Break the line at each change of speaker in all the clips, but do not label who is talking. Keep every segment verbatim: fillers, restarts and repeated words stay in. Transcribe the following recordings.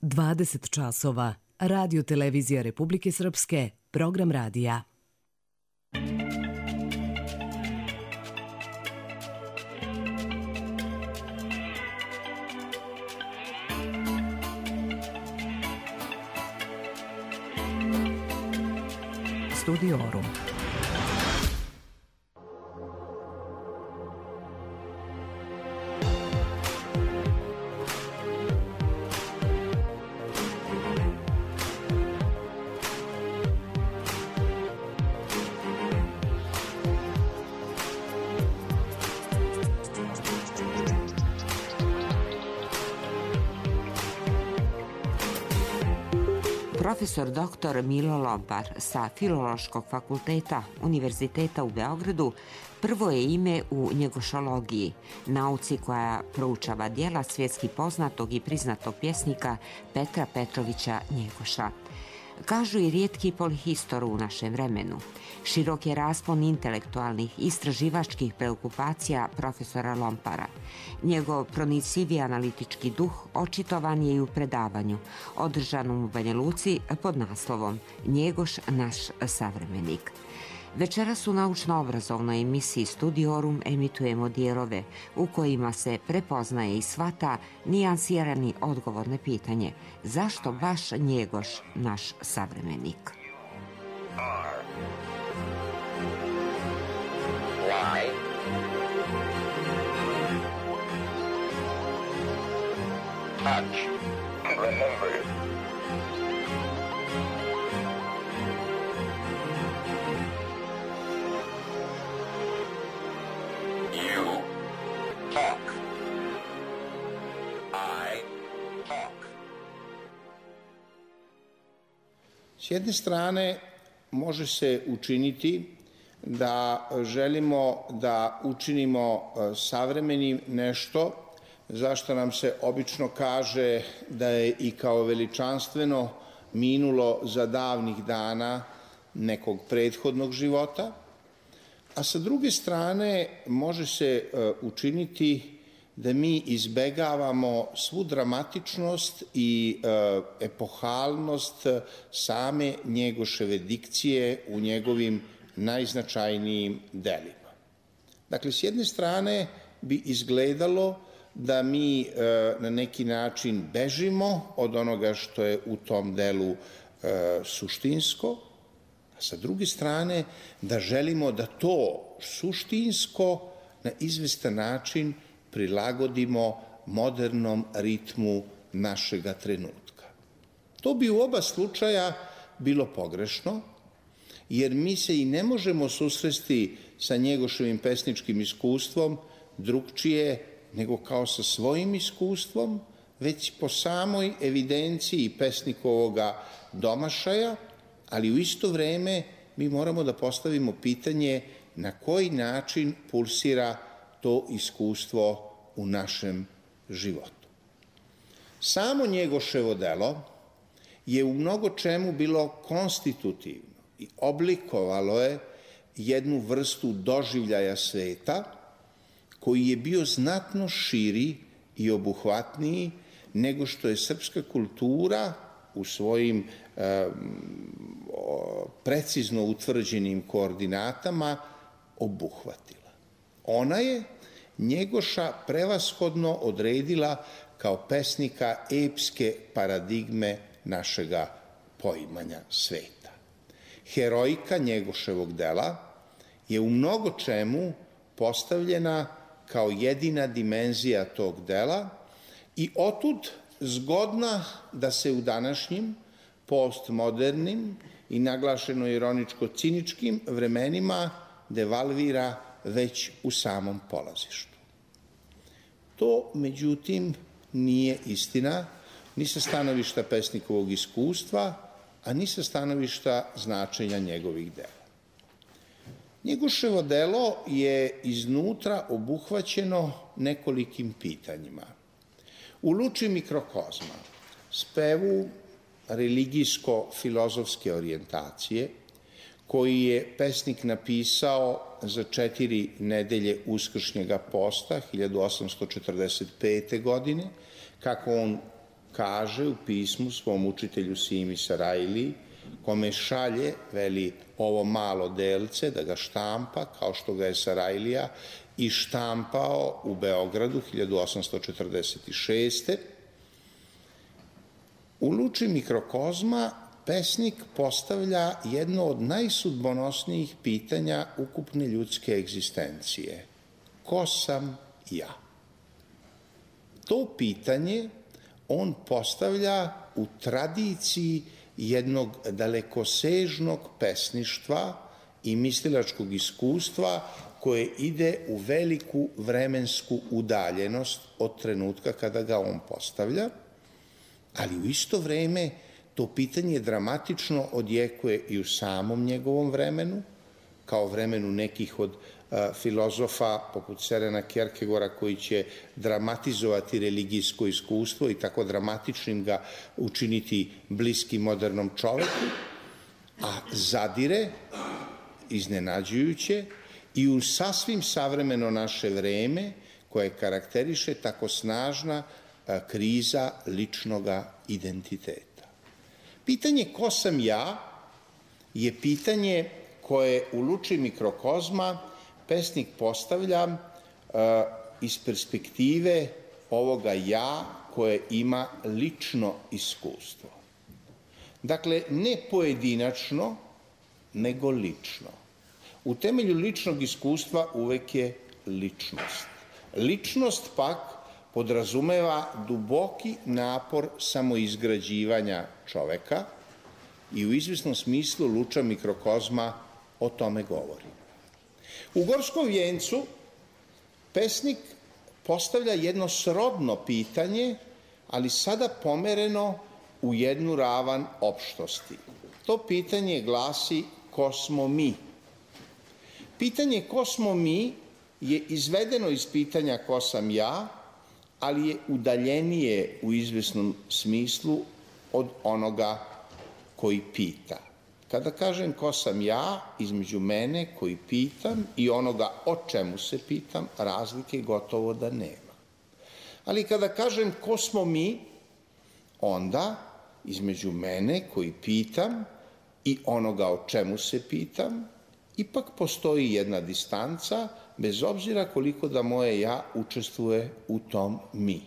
dvadeset časova. Radio Televizija Republike Srpske, program radija. Studiorum.
Profesor doktor Milo Lompar sa Filološkog fakulteta Univerziteta u Beogradu prvo je ime u njegošologiji, nauci koja proučava djela svjetski poznatog i priznatog pjesnika Petra Petrovića Njegoša. Kažu i rijetki polihistor u našem vremenu. Širok je raspon intelektualnih i istraživačkih preokupacija profesora Lompara. Njegov pronicljivi analitički duh očitovan je i u predavanju, održanom u Banja Luci pod naslovom Njegoš, naš savremenik. Večeras u naučno-obrazovnoj emisiji Studiorum emitujemo dijelove u kojima se prepoznaje i shvata nijansirani odgovor na pitanje zašto baš Njegoš, naš savremenik.
Why? Touch. Remember. You talk. I talk.
S jedne strane može se učiniti da želimo da učinimo savremenim nešto zašto nam se obično kaže da je i kao veličanstveno minulo za davnih dana nekog prethodnog života, a sa druge strane može se učiniti da mi izbegavamo svu dramatičnost i epohalnost same Njegoševe dikcije u njegovim najznačajnijim delima. Dakle, s jedne strane bi izgledalo da mi na neki način bežimo od onoga što je u tom delu suštinsko, a sa druge strane da želimo da to suštinsko na izvestan način prilagodimo modernom ritmu našega trenutka. To bi u oba slučaja bilo pogrešno, jer mi se i ne možemo susresti sa Njegoševim pesničkim iskustvom drugčije nego kao sa svojim iskustvom, već po samoj evidenciji pesnikovoga domašaja, ali u isto vreme mi moramo da postavimo pitanje na koji način pulsira to iskustvo u našem životu. Samo Njegoševo delo je u mnogo čemu bilo konstitutivno i oblikovalo je jednu vrstu doživljaja sveta koji je bio znatno širi i obuhvatniji nego što je srpska kultura u svojim e, precizno utvrđenim koordinatama obuhvatila. Ona je Njegoša prevashodno odredila kao pesnika epske paradigme našega poimanja sveta. Herojka Njegoševog dela je u mnogo čemu postavljena kao jedina dimenzija tog dela i otud zgodna da se u današnjim postmodernim i naglašeno ironičko-ciničkim vremenima devalvira već u samom polazištu. To, međutim, nije istina ni sa stanovišta pesnikovog iskustva, a ni sa stanovišta značenja njegovih dela. Njegoševo delo je iznutra obuhvaćeno nekolikim pitanjima. U luči mikrokozma, spevu religijsko-filozofske orijentacije, koji je pesnik napisao za četiri nedelje uskršnjega posta hiljadu osamsto četrdeset pete. godine, kako on kaže u pismu svom učitelju Simi Sarajliji, kome šalje, veli, ovo malo delce da ga štampa, kao što ga je Sarajlija i štampao u Beogradu hiljadu osamsto četrdeset šeste. U luči mikrokozma pesnik postavlja jedno od najsudbonosnijih pitanja ukupne ljudske egzistencije. Ko sam ja? To pitanje on postavlja u tradiciji jednog dalekosežnog pesništva i mislilačkog iskustva koje ide u veliku vremensku udaljenost od trenutka kada ga on postavlja, ali u isto vreme to pitanje dramatično odjekuje i u samom njegovom vremenu, kao vremenu nekih od a, filozofa poput Sørena Kierkegaarda koji će dramatizovati religijsko iskustvo i tako dramatičnim ga učiniti bliskim modernom čoveku, a zadire iznenađujuće i u sasvim savremeno naše vreme koje karakteriše tako snažna a, kriza ličnoga identiteta. Pitanje ko sam ja je pitanje koje u luči mikrokozma pesnik postavlja uh, iz perspektive ovoga ja koje ima lično iskustvo. Dakle, ne pojedinačno, nego lično. U temelju ličnog iskustva uvek je ličnost. Ličnost pak podrazumeva duboki napor samoizgrađivanja čoveka i u izvesnom smislu luča mikrokozma o tome govori. U Gorskom vijencu pesnik postavlja jedno srodno pitanje, ali sada pomereno u jednu ravan opštosti. To pitanje glasi ko smo mi? Pitanje ko smo mi je izvedeno iz pitanja ko sam ja, ali je udaljenije u izvesnom smislu od onoga koji pita. Kada kažem ko sam ja, između mene koji pitam i onoga o čemu se pitam, razlike gotovo da nema. Ali kada kažem ko smo mi, onda između mene koji pitam i onoga o čemu se pitam, ipak postoji jedna distanca, bez obzira koliko da moje ja učestvuje u tom mi.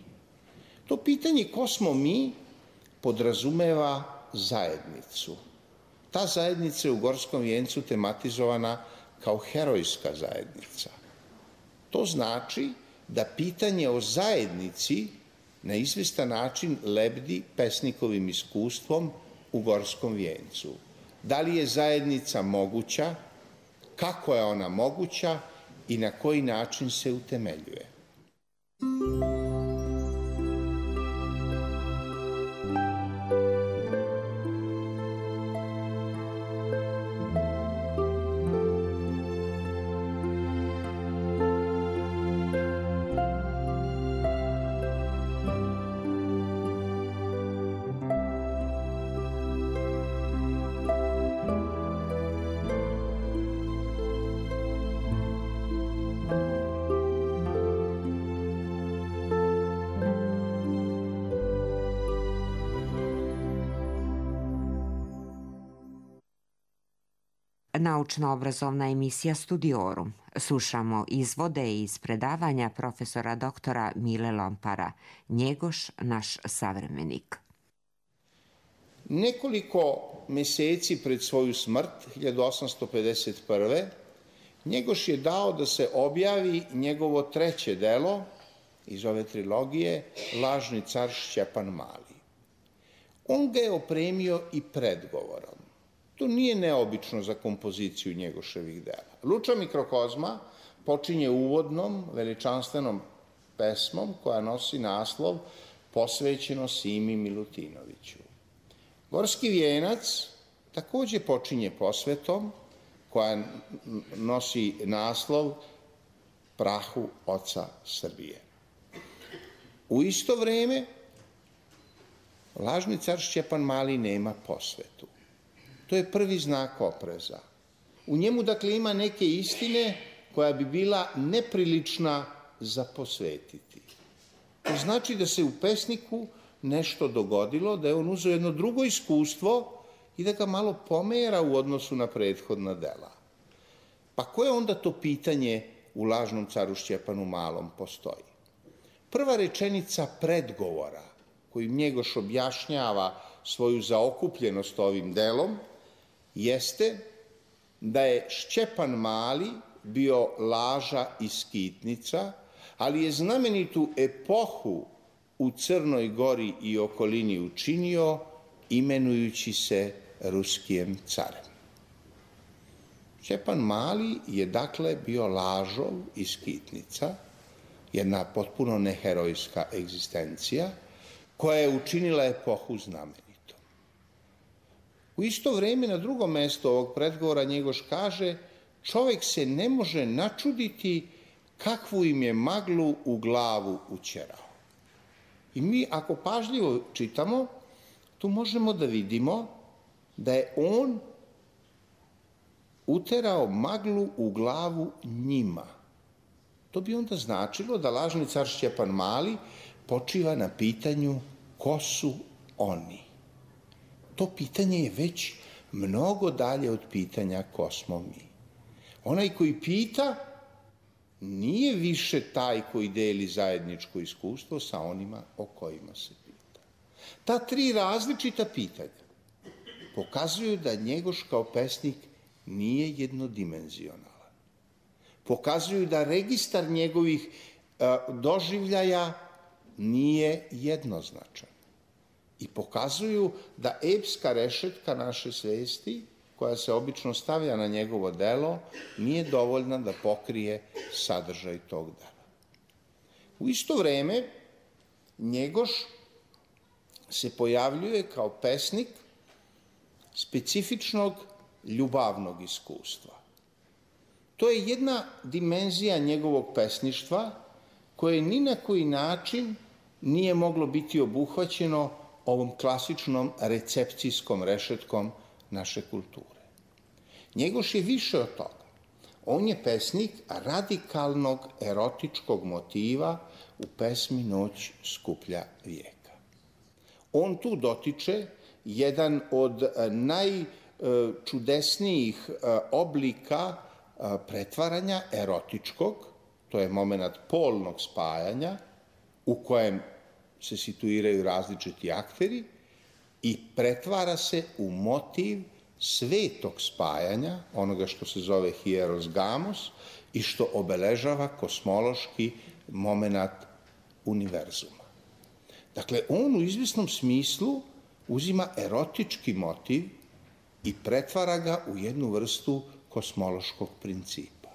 To pitanje ko smo mi podrazumeva zajednicu. Ta zajednica je u Gorskom vijencu tematizovana kao herojska zajednica. To znači da pitanje o zajednici na izvestan način lebdi pesnikovim iskustvom u Gorskom vijencu. Da li je zajednica moguća, kako je ona moguća i na koji način se utemeljuje.
Naučno-obrazovna emisija Studiorum. Slušamo izvode iz predavanja profesora doktora Mile Lompara, Njegoš, naš savremenik.
Nekoliko meseci pred svoju smrt, hiljadu osamsto pedeset prve. Njegoš je dao da se objavi njegovo treće delo iz ove trilogije, Lažni car Šćepan Mali. On ga je opremio i predgovorom. To nije neobično za kompoziciju Njegoševih dela. Luča mikrokozma počinje uvodnom, veličanstvenom pesmom koja nosi naslov Posvećeno Simi Milutinoviću. Gorski vijenac takođe počinje posvetom koja nosi naslov Prahu oca Srbije. U isto vreme Lažni car Šćepan Mali nema posvetu. To je prvi znak opreza. U njemu, dakle, ima neke istine koja bi bila neprilična za posvetiti. To znači da se u pesniku nešto dogodilo, da je on uzeo jedno drugo iskustvo i da ga malo pomera u odnosu na prethodna dela. Pa koje onda to pitanje u Lažnom caru Šćepanu Malom postoji? Prva rečenica predgovora, koju Njegoš objašnjava svoju zaokupljenost ovim delom, jeste da je Šćepan Mali bio laža i skitnica, ali je znamenitu epohu u Crnoj Gori i okolini učinio imenujući se Ruskijem carem. Šćepan Mali je dakle bio lažov i skitnica, jedna potpuno neherojska egzistencija koja je učinila epohu znamenitom. U isto vreme na drugom mestu ovog predgovora Njegoš kaže: čovjek se ne može načuditi kakvu im je maglu u glavu ućerao. I mi ako pažljivo čitamo, tu možemo da vidimo da je on uterao maglu u glavu njima. To bi onda značilo da lažni car Šćepan Mali počiva na pitanju ko su oni. To pitanje je već mnogo dalje od pitanja ko smo mi. Onaj koji pita nije više taj koji deli zajedničko iskustvo sa onima o kojima se pita. Ta tri različita pitanja pokazuju da Njegoš kao pesnik nije jednodimenzionalan. Pokazuju da registar njegovih doživljaja nije jednoznačan. I pokazuju da epska rešetka naše svesti, koja se obično stavlja na njegovo delo, nije dovoljna da pokrije sadržaj tog dela. U isto vreme, Njegoš se pojavljuje kao pesnik specifičnog ljubavnog iskustva. To je jedna dimenzija njegovog pesništva koje ni na koji način nije moglo biti obuhvaćeno ovom klasičnom recepcijskom rešetkom naše kulture. Njegoš je više od toga. On je pesnik radikalnog erotičkog motiva u pesmi Noć skuplja vijeka. On tu dotiče jedan od najčudesnijih oblika pretvaranja erotičkog, to je moment polnog spajanja u kojem se situiraju različiti akteri i pretvara se u motiv svetog spajanja, onoga što se zove hieros gamos i što obeležava kosmološki moment univerzuma. Dakle, on u izvesnom smislu uzima erotički motiv i pretvara ga u jednu vrstu kosmološkog principa.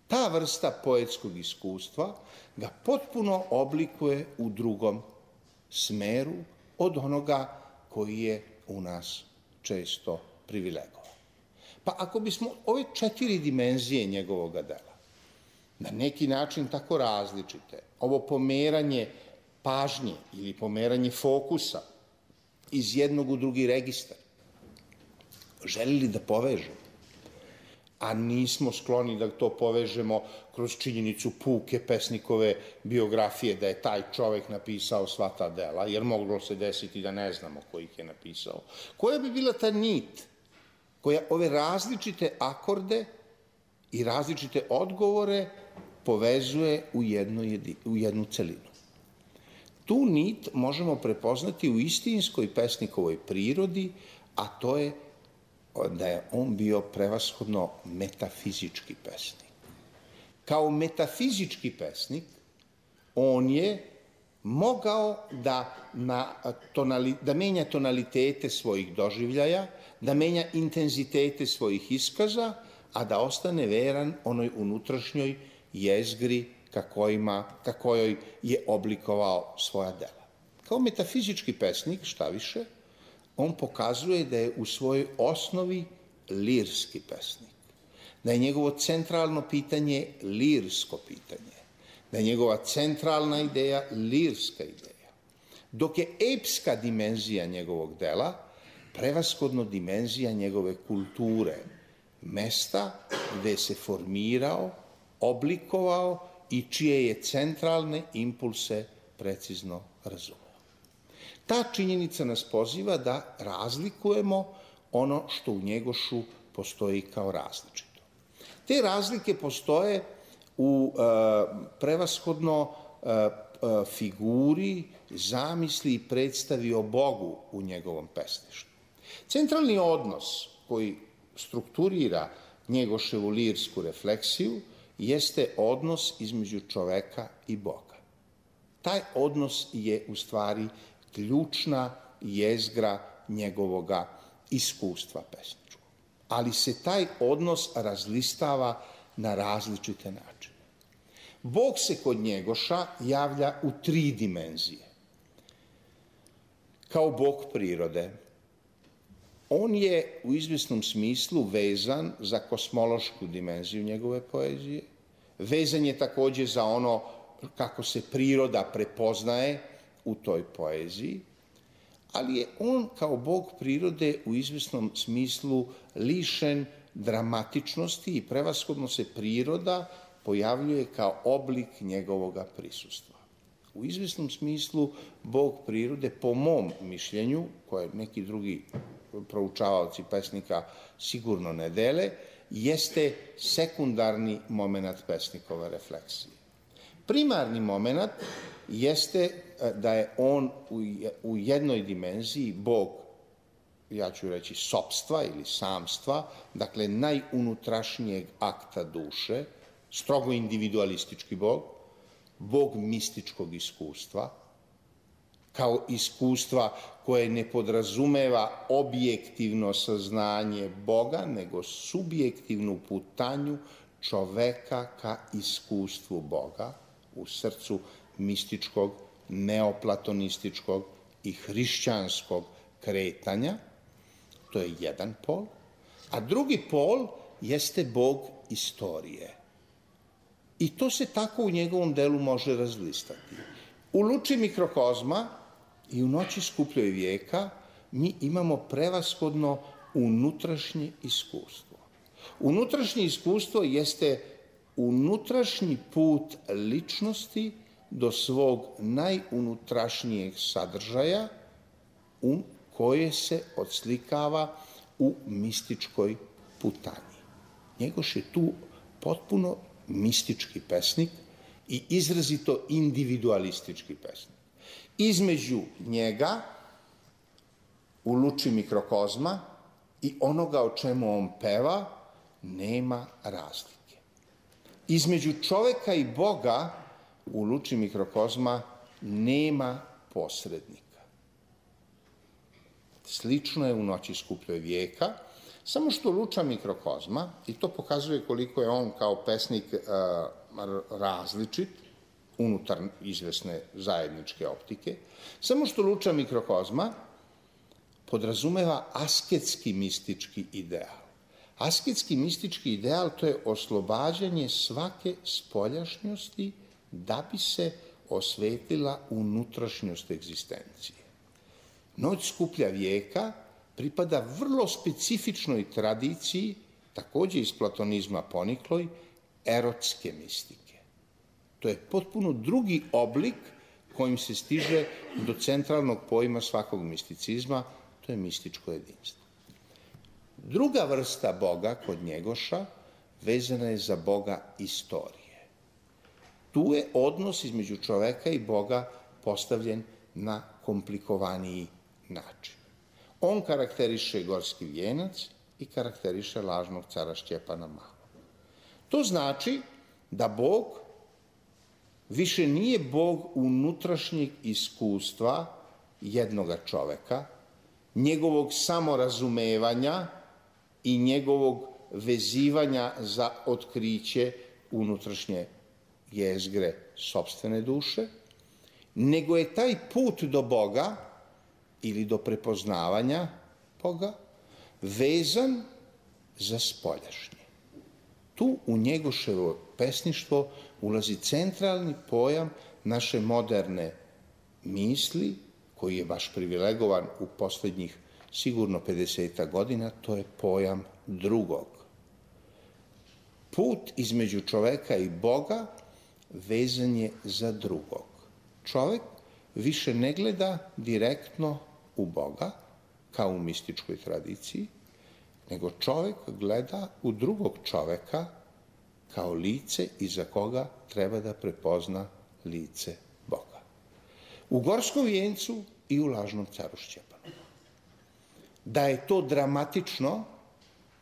Ta vrsta poetskog iskustva ga potpuno oblikuje u drugom smeru od onoga koji je u nas često privilegovan. Pa ako bismo ove četiri dimenzije njegovog dela, na neki način tako različite, ovo pomeranje pažnje ili pomeranje fokusa iz jednog u drugi registar, želili da povežemo, a nismo skloni da to povežemo kroz činjenicu puke pesnikove biografije, da je taj čovek napisao sva ta dela, jer moglo se desiti da ne znamo ko ih je napisao. Koja bi bila ta nit koja ove različite akorde i različite odgovore povezuje u jednu, u jednu celinu? Tu nit možemo prepoznati u istinskoj pesnikovoj prirodi, a to je da je on bio prevashodno metafizički pesnik. Kao metafizički pesnik, on je mogao da, na tonali, da menja tonalitete svojih doživljaja, da menja intenzitete svojih iskaza, a da ostane veran onoj unutrašnjoj jezgri ka, kojima, ka kojoj je oblikovao svoja dela. Kao metafizički pesnik, šta više, on pokazuje da je u svojoj osnovi lirski pesnik, da je njegovo centralno pitanje lirsko pitanje, da je njegova centralna ideja lirska ideja, dok je epska dimenzija njegovog dela prevashodno dimenzija njegove kulture, mesta gde se formirao, oblikovao i čije je centralne impulse precizno razumeo. Ta činjenica nas poziva da razlikujemo ono što u Njegošu postoji kao različito. Te razlike postoje u e, prevashodno e, e, figuri, zamisli i predstavi o Bogu u njegovom pesništvu. Centralni odnos koji strukturira Njegoševu lirsku refleksiju jeste odnos između čoveka i Boga. Taj odnos je u stvari ključna jezgra njegovoga iskustva pesničkog. Ali se taj odnos razlistava na različite načine. Bog se kod Njegoša javlja u tri dimenzije. Kao Bog prirode. On je u izvjesnom smislu vezan za kosmološku dimenziju njegove poezije. Vezan je također za ono kako se priroda prepoznaje u toj poeziji, ali je on kao Bog prirode u izvjesnom smislu lišen dramatičnosti i prevashodno se priroda pojavljuje kao oblik njegovoga prisustva. U izvjesnom smislu Bog prirode, po mom mišljenju, koje neki drugi proučavaoci pesnika sigurno ne dele, jeste sekundarni moment pesnikove refleksije. Primarni moment jeste da je on u jednoj dimenziji Bog, ja ću reći sopstva ili samstva, dakle najunutrašnjeg akta duše, strogo individualistički Bog, Bog mističkog iskustva, kao iskustva koje ne podrazumeva objektivno saznanje Boga, nego subjektivnu putanju čoveka ka iskustvu Boga u srcu mističkog, neoplatonističkog i hrišćanskog kretanja. To je jedan pol. A drugi pol jeste Bog istorije. I to se tako u njegovom delu može razlistati. U luči mikrokozma i u noći skupljoj vijeka mi imamo prevashodno unutrašnje iskustvo. Unutrašnje iskustvo jeste unutrašnji put ličnosti do svog najunutrašnjeg sadržaja u koje se odslikava u mističkoj putanji. Njegoš je tu potpuno mistički pesnik i izrazito individualistički pesnik. Između njega, u luči mikrokozma, i onoga o čemu on peva, nema razlike. Između čoveka i Boga, u luči mikrokozma, nema posrednika. Slično je u noći skupljoj vijeka, samo što luča mikrokozma, i to pokazuje koliko je on kao pesnik uh, različit, unutar izvesne zajedničke optike, samo što luča mikrokozma podrazumeva asketski mistički ideal. Asketski mistički ideal to je oslobađanje svake spoljašnjosti da bi se osvetila unutrašnjost egzistencije. Noć skuplja vijeka pripada vrlo specifičnoj tradiciji, također iz platonizma ponikloj, erotske mistike. To je potpuno drugi oblik kojim se stiže do centralnog pojma svakog misticizma, to je mističko jedinstvo. Druga vrsta Boga kod Njegoša vezana je za Boga istorije. Tu je odnos između čoveka i Boga postavljen na komplikovaniji način. On karakteriše gorski vijenac i karakteriše lažnog cara Šćepana Malog. To znači da Bog više nije Bog unutrašnjeg iskustva jednoga čoveka, njegovog samorazumevanja i njegovog vezivanja za otkriće unutrašnje jezgre sopstvene duše, nego je taj put do Boga ili do prepoznavanja Boga vezan za spoljašnje. Tu u Njegoševo pesništvo ulazi centralni pojam naše moderne misli, koji je baš privilegovan u posljednjih sigurno pedeset godina, to je pojam drugog. Put između čoveka i Boga vezan je za drugog. Čovek više ne gleda direktno u Boga, kao u mističkoj tradiciji, nego čovek gleda u drugog čoveka kao lice iza koga treba da prepozna lice Boga. U Gorskom vijencu i u Lažnom caru Šćepanu. Da je to dramatično,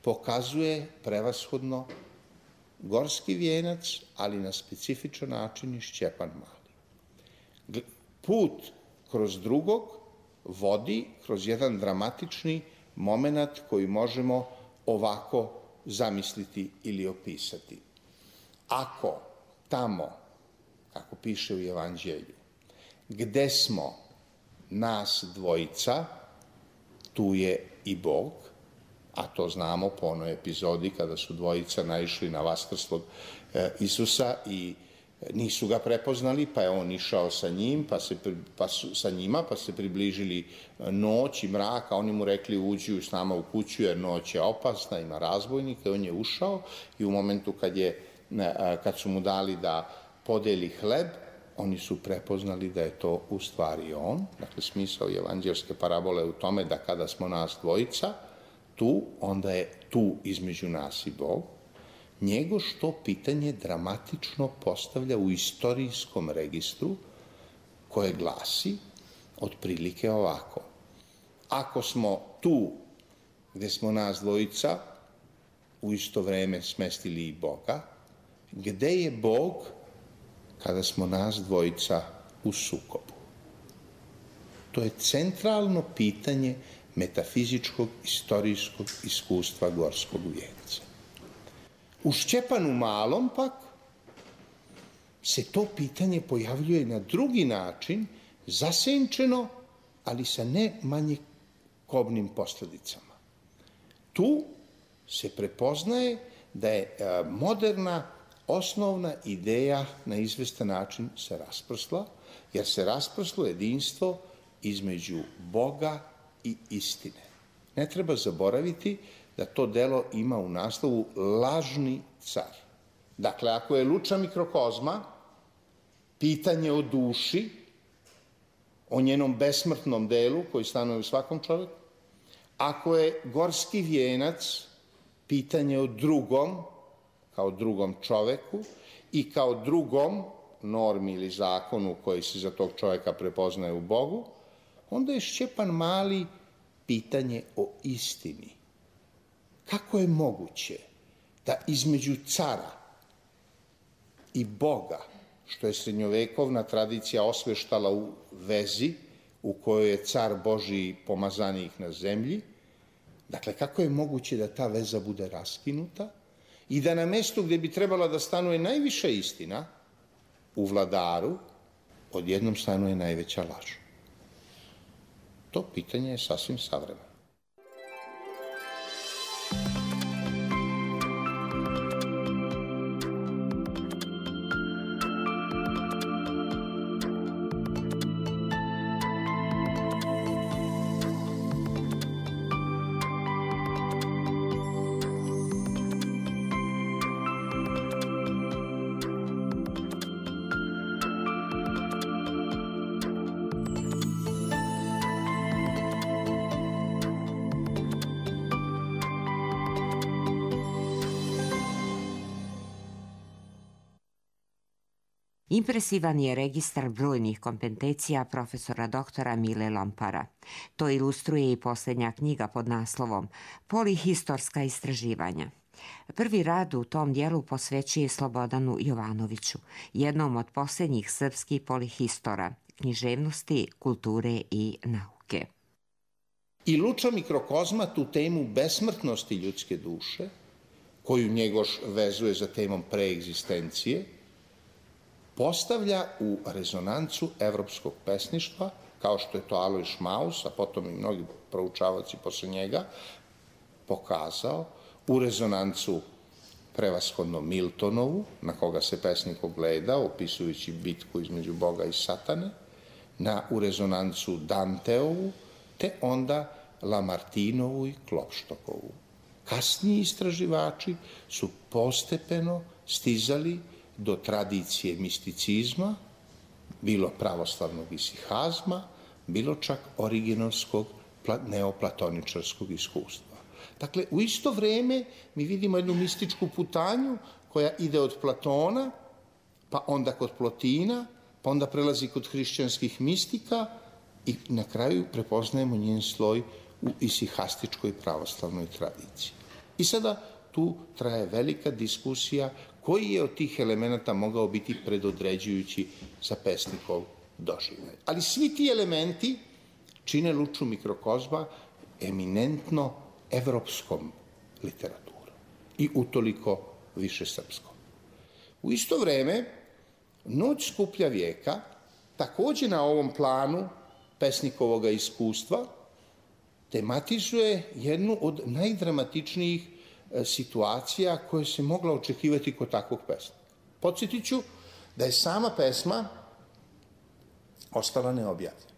pokazuje prevashodno Gorski vijenac, ali na specifičan način i Šćepan Mali. Put kroz drugog vodi kroz jedan dramatični moment koji možemo ovako zamisliti ili opisati. Ako tamo, kako piše u Evanđelju, gde smo nas dvojica, tu je i Bog, a to znamo po onoj epizodi kada su dvojica naišli na vaskrslog Isusa i nisu ga prepoznali, pa je on išao sa njim, pa se, pa su, sa njima, pa se približili noć i mrak, a oni mu rekli uđi s nama u kuću jer noć je opasna, ima razbojnika, i on je ušao i u momentu kad, je, kad su mu dali da podeli hleb, oni su prepoznali da je to u stvari on. Dakle, smisao evanđelske parabole u tome da kada smo nas dvojica tu, onda je tu između nas i Bog. Njego što pitanje dramatično postavlja u istorijskom registru koje glasi otprilike ovako. Ako smo tu gde smo nas dvojica u isto vreme smestili i Boga, gde je Bog kada smo nas dvojica u sukobu? To je centralno pitanje metafizičkog istorijskog iskustva Gorskog vijenca. U Šćepanu Malom pak se to pitanje pojavljuje na drugi način, zasenčeno, ali sa ne manje kobnim posledicama. Tu se prepoznaje da je moderna osnovna ideja na izvestan način se rasprsla, jer se rasprslo jedinstvo između Boga i istine. Ne treba zaboraviti da to delo ima u naslovu lažni car. Dakle, ako je Luča mikrokozma pitanje o duši, o njenom besmrtnom delu koji stanuje u svakom čoveku, ako je Gorski vijenac pitanje o drugom, kao drugom čoveku i kao drugom normi ili zakonu koji se za tog čoveka prepoznaje u Bogu, onda je Šćepan Mali pitanje o istini. Kako je moguće da između cara i Boga, što je srednjovekovna tradicija osveštala u vezi u kojoj je car Božiji pomazanik na zemlji, dakle, kako je moguće da ta veza bude raskinuta i da na mestu gde bi trebala da stanuje najviša istina, u vladaru, odjednom stanuje najveća laž? To pitanje je sasvim savremeno.
Impresivan je registar brojnih kompetencija profesora doktora Mile Lompara. To ilustruje i posljednja knjiga pod naslovom Polihistorska istraživanja. Prvi rad u tom dijelu posvećuje Slobodanu Jovanoviću, jednom od posljednjih srpskih polihistora, književnosti, kulture i nauke.
I Luča mikrokozma tu temu besmrtnosti ljudske duše, koju Njegoš vezuje za temom preegzistencije, postavlja u rezonancu evropskog pesništva, kao što je to Alojz Šmaus, a potom i mnogi proučavaoci posle njega, pokazao, u rezonancu prevashodno Miltonovu, na koga se pesnik ogleda, opisujući bitku između Boga i Satane, na, u rezonancu Danteovu, te onda Lamartinovu i Klopštokovu. Kasniji istraživači su postepeno stizali do tradicije misticizma, bilo pravoslavnog isihazma, bilo čak originovskog neoplatoničarskog iskustva. Dakle, u isto vreme mi vidimo jednu mističku putanju koja ide od Platona, pa onda kod Plotina, pa onda prelazi kod hrišćanskih mistika i na kraju prepoznajemo njen sloj u isihastičkoj pravoslavnoj tradiciji. I sada tu traje velika diskusija koji je od tih elemenata mogao biti predodređujući za pesnikov doživljaj. Ali svi ti elementi čine Luču mikrokozma eminentno evropskom literaturom i utoliko više srpskom. U isto vreme, Noć skuplja vijeka, takođe na ovom planu pesnikovoga iskustva, tematizuje jednu od najdramatičnijih situacija koje se mogla očekivati kod takvog pesnika. Podsjetit ću da je sama pesma ostala neobjavljena.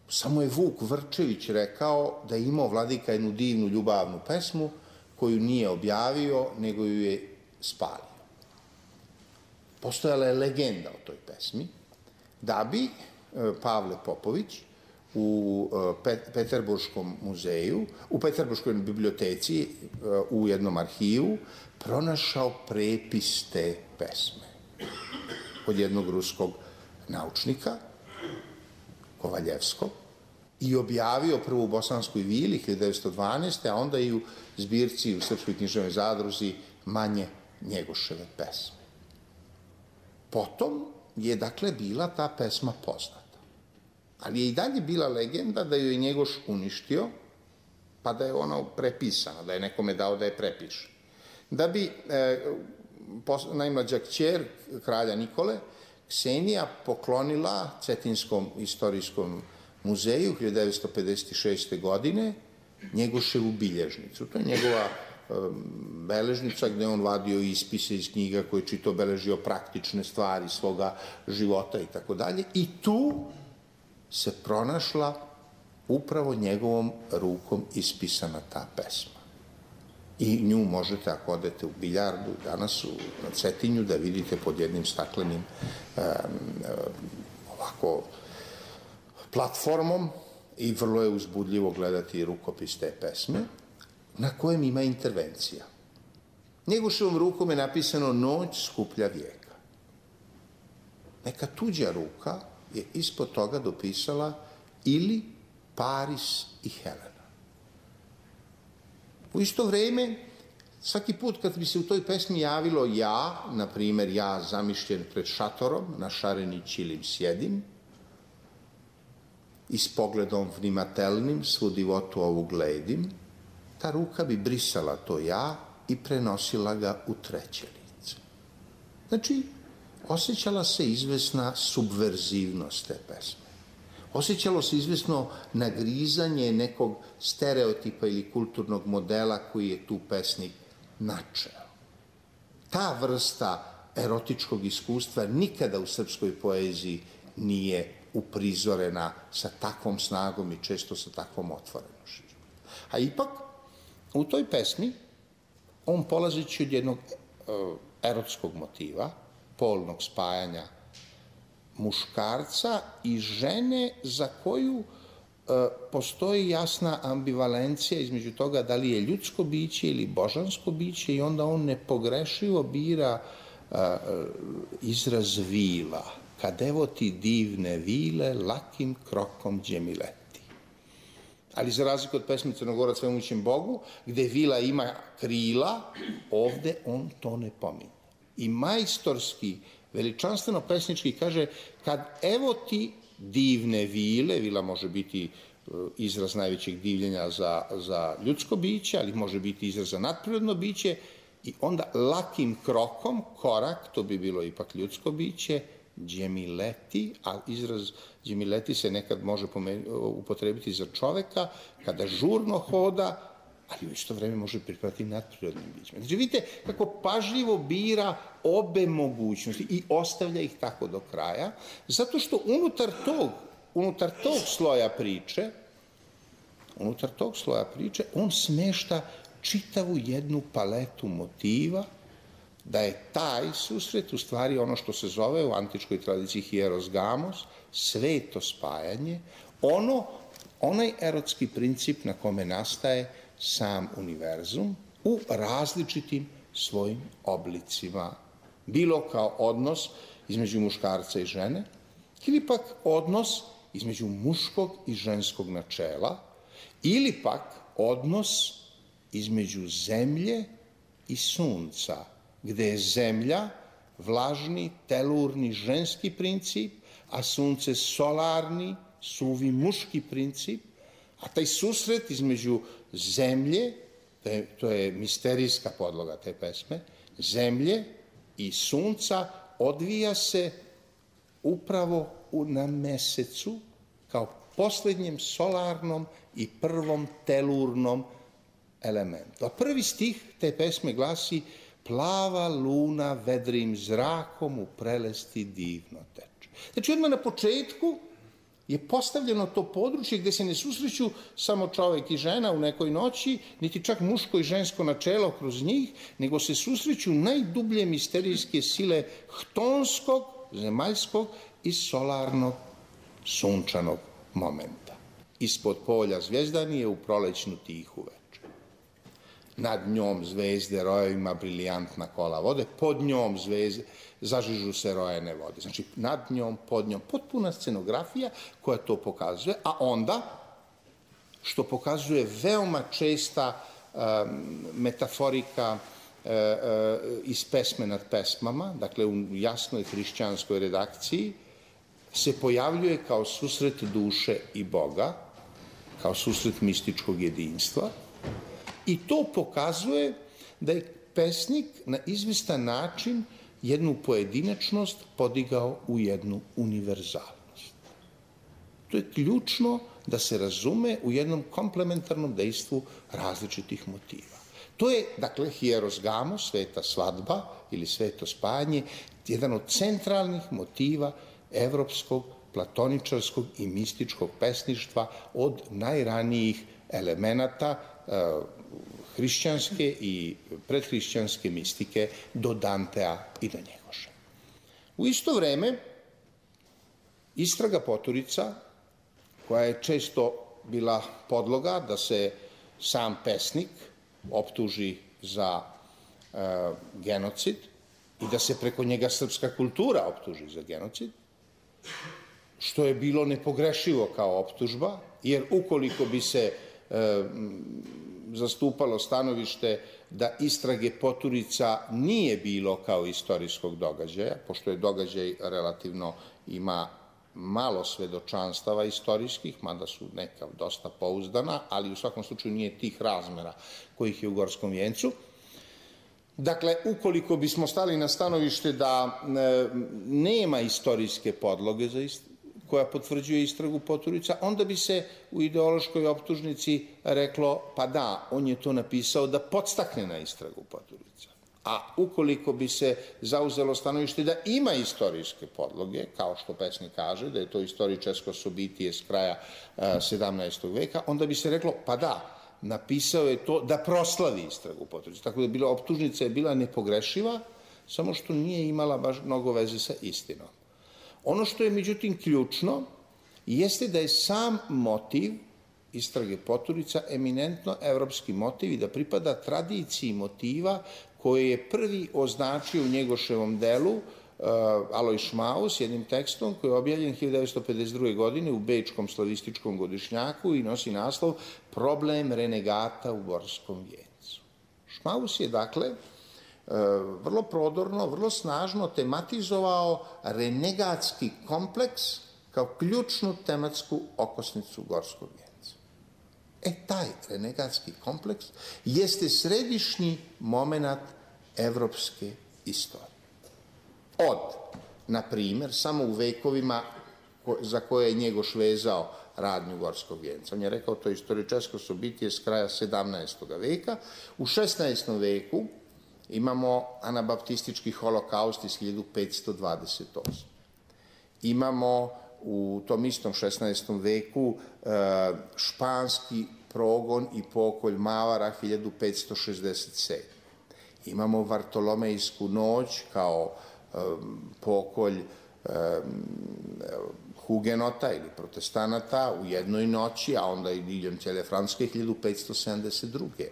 Samo je Vuk Vrčević rekao da je imao vladika jednu divnu ljubavnu pesmu koju nije objavio, nego ju je spalio. Postojala je legenda o toj pesmi, da bi Pavle Popović u Peterburškom muzeju, u Peterburškoj biblioteci, u jednom arhivu, pronašao prepis te pesme od jednog ruskog naučnika, Kovaljevskog, i objavio prvo u Bosanskoj vili hiljadu devetsto dvanaeste. a onda i u zbirci u Srpskoj književnoj zadruzi Manje Njegoševe pesme. Potom je, dakle, bila ta pesma poznata. Ali je i dalje bila legenda da ju je Njegoš uništio, pa da je ona prepisana, da je nekome dao da je prepiše. Da bi e, pos, najmlađa kćer kralja Nikole, Ksenija, poklonila Cetinskom istorijskom muzeju hiljadu devetsto pedeset šeste. godine Njegoševu bilježnicu. To je njegova beležnica gde on vadio ispise iz knjiga koje čito beležio praktične stvari svoga života i tako dalje. I tu se pronašla upravo njegovom rukom ispisana ta pesma. I nju možete, ako odete u biljardu danas na Cetinju, da vidite pod jednim staklenim um, ovako platformom i vrlo je uzbudljivo gledati rukopis te pesme, na kojem ima intervencija. Njegoševom rukom je napisano Noć skuplja vijeka. Neka tuđa ruka je ispod toga dopisala ili Paris i Helena. U isto vreme, svaki put kad bi se u toj pesmi javilo ja, na primer ja zamišljen pred šatorom, na šareni čilim sjedim, i s pogledom vnimatelnim svu divotu ovu gledim, ta ruka bi brisala to ja i prenosila ga u treće lice. Znači, osjećala se izvesna subverzivnost te pesme. Osjećalo se izvesno nagrizanje nekog stereotipa ili kulturnog modela koji je tu pesnik načeo. Ta vrsta erotičkog iskustva nikada u srpskoj poeziji nije uprizorena sa takvom snagom i često sa takvom otvorenošću. A ipak, u toj pesmi, on polazići od jednog uh, erotskog motiva, polnog spajanja muškarca i žene za koju uh, postoji jasna ambivalencija između toga da li je ljudsko biće ili božansko biće i onda on nepogrešivo bira uh, izraz vila. Kad evo ti divne vile, lakim krokom džemileti. Ali za razliku od pesme Crnogorac svemoćem Bogu, gde vila ima krila, ovde on to ne pominje. I majstorski, veličanstveno pesnički kaže, kad evo ti divne vile, vila može biti izraz najvećeg divljenja za, za ljudsko biće, ali može biti izraz za nadprirodno biće, i onda lakim krokom, korak, to bi bilo ipak ljudsko biće, džemileti, a izraz džemileti se nekad može upotrebiti za čoveka, kada žurno hoda, ali u isto vreme može pripadati nadprirodnim bićima. Znači, vidite kako pažljivo bira obe mogućnosti i ostavlja ih tako do kraja, zato što unutar tog, unutar tog sloja priče, unutar tog sloja priče, on smešta čitavu jednu paletu motiva da je taj susret u stvari ono što se zove u antičkoj tradiciji hieros gamos, sveto spajanje, ono, onaj erotski princip na kome nastaje sam univerzum u različitim svojim oblicima. Bilo kao odnos između muškarca i žene, ili pak odnos između muškog i ženskog načela, ili pak odnos između zemlje i sunca, gde je zemlja vlažni, telurni, ženski princip, a sunce solarni, suvi, muški princip, a taj susret između zemlje, to je misterijska podloga te pesme, zemlje i sunca odvija se upravo na mesecu kao posljednjem solarnom i prvom telurnom elementu. A prvi stih te pesme glasi: plava luna vedrim zrakom u prelesti divno teče. Znači, odmah na početku je postavljeno to područje gde se ne susreću samo čovek i žena u nekoj noći, niti čak muško i žensko načelo kroz njih, nego se susreću najdublje misterijske sile htonskog, zemaljskog i solarnog, sunčanog momenta. Ispod polja zvjezdanije u prolećnu tihu večer. Nad njom zvezde rojevima briljantna kola vode, pod njom zvezde zažižu se rojene vode. Znači, nad njom, pod njom, potpuna scenografija koja to pokazuje, a onda, što pokazuje veoma česta um, metaforika uh, uh, iz pesme nad pesmama, dakle u jasnoj hrišćanskoj redakciji, se pojavljuje kao susret duše i Boga, kao susret mističkog jedinstva, i to pokazuje da je pesnik na izvestan način jednu pojedinačnost podigao u jednu univerzalnost. To je ključno da se razume u jednom komplementarnom dejstvu različitih motiva. To je, dakle, hieros gamos, sveta svadba ili sveto spajanje, jedan od centralnih motiva evropskog, platoničarskog i mističkog pesništva od najranijih elemenata hrišćanske i predhrišćanske mistike do Dantea i do Njegoša. U isto vreme, Istraga Poturica, koja je često bila podloga da se sam pesnik optuži za e, genocid i da se preko njega srpska kultura optuži za genocid, što je bilo nepogrešivo kao optužba, jer ukoliko bi se e, zastupalo stanovište da Istrage Poturica nije bilo kao istorijskog događaja, pošto je događaj relativno ima malo svedočanstava istorijskih, mada su neka dosta pouzdana, ali u svakom slučaju nije tih razmera kojih je u Gorskom vijencu. Dakle, ukoliko bismo stali na stanovište da e, nema istorijske podloge za ist, koja potvrđuje Istragu Poturica, onda bi se u ideološkoj optužnici reklo, pa da, on je to napisao da podstakne na Istragu Poturica. A ukoliko bi se zauzelo stanovište da ima istorijske podloge, kao što pesnik kaže, da je to istoričarsko sobitije s kraja sedamnaestog veka, onda bi se reklo, pa da, napisao je to da proslavi Istragu Poturica. Tako da bila, optužnica je bila nepogrešiva, samo što nije imala baš mnogo veze sa istinom. Ono što je međutim ključno jeste da je sam motiv Istrage Poturica eminentno evropski motiv i da pripada tradiciji motiva koje je prvi označio u Njegoševom delu uh, Aloj Šmaus jednim tekstom koji je objavljen hiljadu devetsto pedeset druge. godine u Bečkom slavističkom godišnjaku i nosi naslov Problem renegata u Gorskom vijencu. Šmaus je dakle vrlo prodorno, vrlo snažno tematizovao renegatski kompleks kao ključnu tematsku okosnicu Gorskog vijenca. E, taj renegatski kompleks jeste središnji moment evropske istorije. Od, na primjer, samo u vekovima za koje je Njegoš vezao radnju Gorskog vijenca. On je rekao, to je istoričarsko sobitije s kraja sedamnaestog veka. U šesnaestom veku imamo anabaptistički holokaust iz hiljadu petsto dvadeset osme. Imamo u tom istom šesnaestom veku španski progon i pokolj Mavara hiljadu petsto šezdeset sedme. Imamo Vartolomejsku noć kao um, pokolj um, hugenota ili protestanata u jednoj noći, a onda i diljem cijele Francuske hiljadu petsto sedamdeset druge.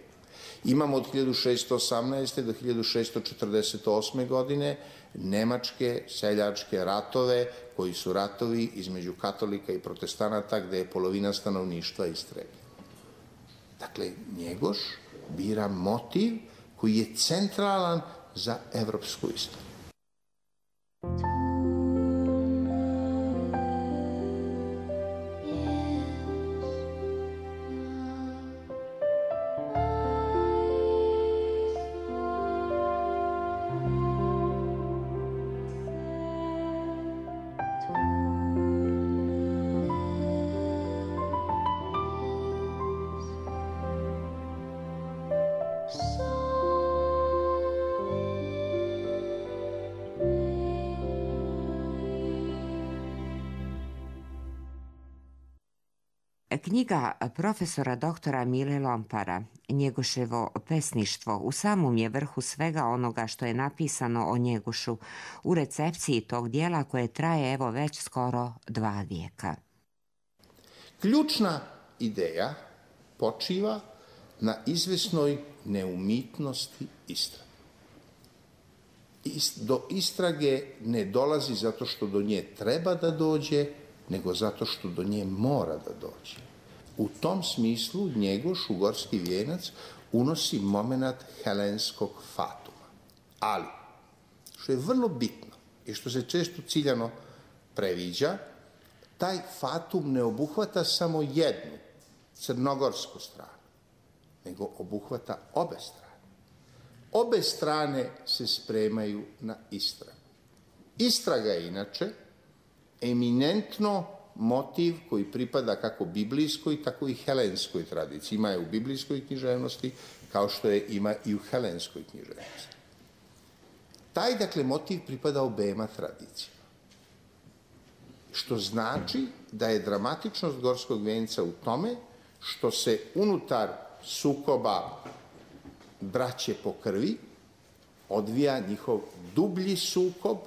Imamo od hiljadu šeststo osamnaeste. do hiljadu šeststo četrdeset osme. godine nemačke seljačke ratove, koji su ratovi između katolika i protestanata, gde je polovina stanovništva istrebljena. Dakle, Njegoš bira motiv koji je centralan za evropsku istoriju.
Knjiga profesora doktora Mile Lompara, Njegoševo pesništvo, u samom je vrhu svega onoga što je napisano o Njegošu u recepciji tog dijela koje traje evo već skoro dva vijeka.
Ključna ideja počiva na izvesnoj neumitnosti istrage. Do istrage ne dolazi zato što do nje treba da dođe, nego zato što do nje mora da dođe. U tom smislu Njegoš u Gorski vijenac unosi moment helenskog fatuma. Ali, što je vrlo bitno i što se često ciljano previđa, taj fatum ne obuhvata samo jednu crnogorsku stranu, nego obuhvata obe strane. Obe strane se spremaju na istragu. Istraga je inače eminentno motiv koji pripada kako biblijskoj, tako i helenskoj tradiciji. Ima je u biblijskoj književnosti, kao što je ima i u helenskoj književnosti. Taj, dakle, motiv pripada obema tradicijama. Što znači da je dramatičnost Gorskog vijenca u tome što se unutar sukoba braće po krvi odvija njihov dublji sukob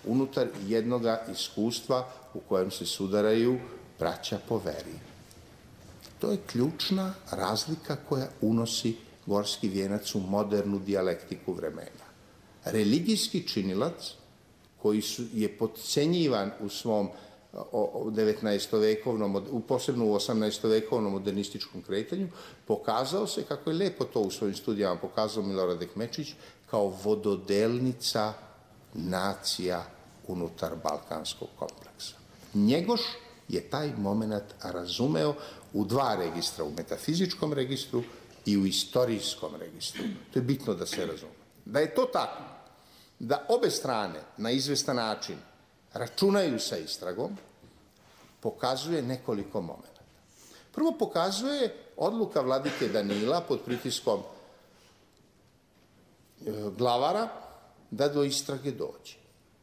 unutar jednoga iskustva u kojem se sudaraju braća po veri. To je ključna razlika koja unosi Gorski vijenac u modernu dijalektiku vremena. Religijski činilac, koji su, je potcenjivan u svom devetnaestovekovnom, posebno u osamnaestovekovnom modernističkom kretanju, pokazao se, kako je lepo to u svojim studijama pokazao Milorad Ekmečić, kao vododelnica nacija unutar balkanskog kompleksa. Njegoš je taj moment razumeo u dva registra, u metafizičkom registru i u istorijskom registru. To je bitno da se razume. Da je to tako, da obe strane na izvestan način računaju sa istragom, pokazuje nekoliko momenta. Prvo pokazuje odluka vladike Danila pod pritiskom glavara da do istrage dođe.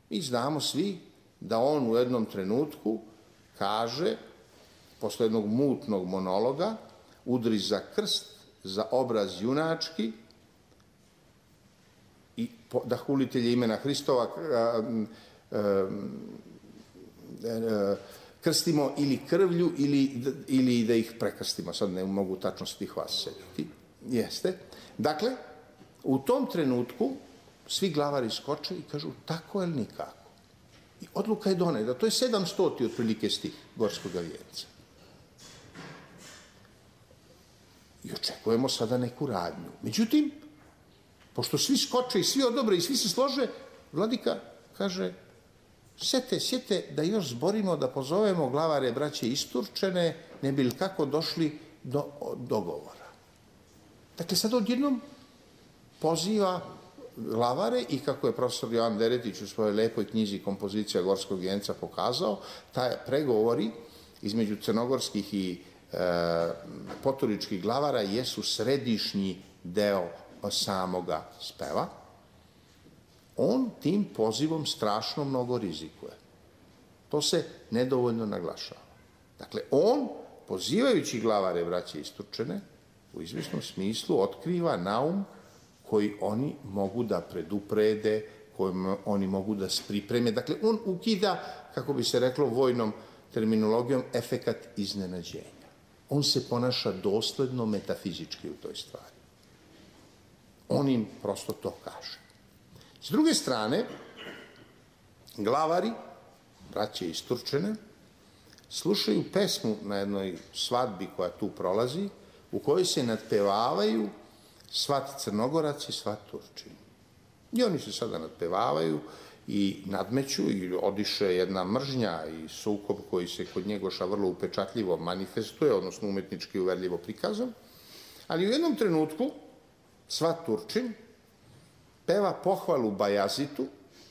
Mi znamo svi da on u jednom trenutku kaže, posle jednog mutnog monologa, udri za krst, za obraz junački, i da hulitelje imena Hristova krstimo ili krvlju ili, ili da ih prekrstimo. Sad ne mogu tačno svih vas sediti. Jeste. Dakle, u tom trenutku svi glavari skoče i kažu tako ili nikako. I odluka je doneta. To je sedamstoti otprilike stih Gorskog vijenca. I očekujemo sada neku radnju. Međutim, pošto svi skoče i svi odobre i svi se slože, vladika kaže, sjete, sjete da još zborimo, da pozovemo glavare braće isturčene, ne bi li kako došli do dogovora. Dakle, sad odjednom poziva glavare i kako je profesor Jovan Deretić u svojoj lepoj knjizi Kompozicija Gorskog vijenca pokazao, taj pregovori između crnogorskih i e, poturičkih glavara jesu središnji deo samoga speva. On tim pozivom strašno mnogo rizikuje. To se nedovoljno naglašava. Dakle, on, pozivajući glavare braće isturčene, u izvjesnom smislu otkriva naum koji oni mogu da preduprede, kojim oni mogu da pripreme. Dakle, on ukida, kako bi se reklo vojnom terminologijom, efekat iznenađenja. On se ponaša dosledno metafizički u toj stvari. On im prosto to kaže. S druge strane, glavari, braće iz Turčine, slušaju pesmu na jednoj svadbi koja tu prolazi, u kojoj se nadpevavaju svat Crnogorac i svat Turčin. I oni se sada nadpevavaju i nadmeću i odiše jedna mržnja i sukob koji se kod Njegoša vrlo upečatljivo manifestuje, odnosno umetnički uverljivo prikazan, ali u jednom trenutku svat Turčin peva pohvalu Bajazitu,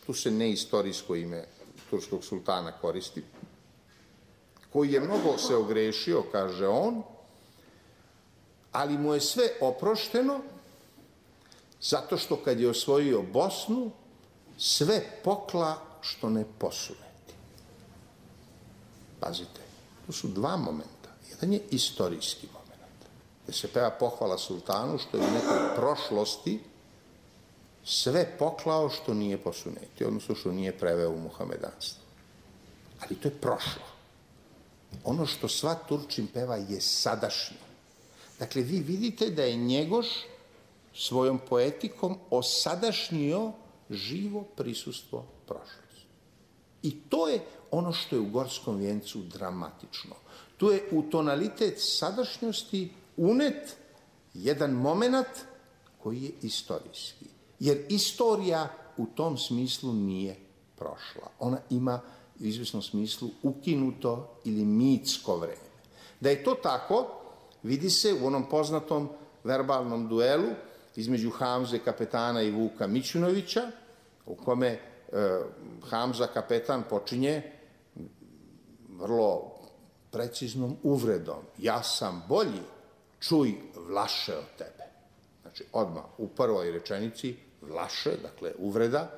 tu se neistorijsko ime turskog sultana koristi, koji je mnogo se ogrešio, kaže on, ali mu je sve oprošteno zato što kad je osvojio Bosnu, sve pokla što ne posuneti. Pazite, tu su dva momenta. Jedan je istorijski moment, gde se peva pohvala sultanu što je u nekoj prošlosti sve poklao što nije posuneti, odnosno što nije preveo u muhamedanstvo. Ali to je prošlo. Ono što svat Turčin peva je sadašnje. Dakle, vi vidite da je Njegoš svojom poetikom osadašnjio živo prisustvo prošlosti. I to je ono što je u Gorskom vijencu dramatično. Tu je u tonalitet sadašnjosti unet jedan moment koji je istorijski. Jer istorija u tom smislu nije prošla. Ona ima u izvesnom smislu ukinuto ili mitsko vreme. Da je to tako, vidi se u onom poznatom verbalnom duelu između Hamze kapetana i Vuka Mićunovića, u kome e, Hamza kapetan počinje vrlo preciznom uvredom. Ja sam bolji, čuj Vlaše od tebe. Znači, odmah u prvoj rečenici Vlaše, dakle uvreda,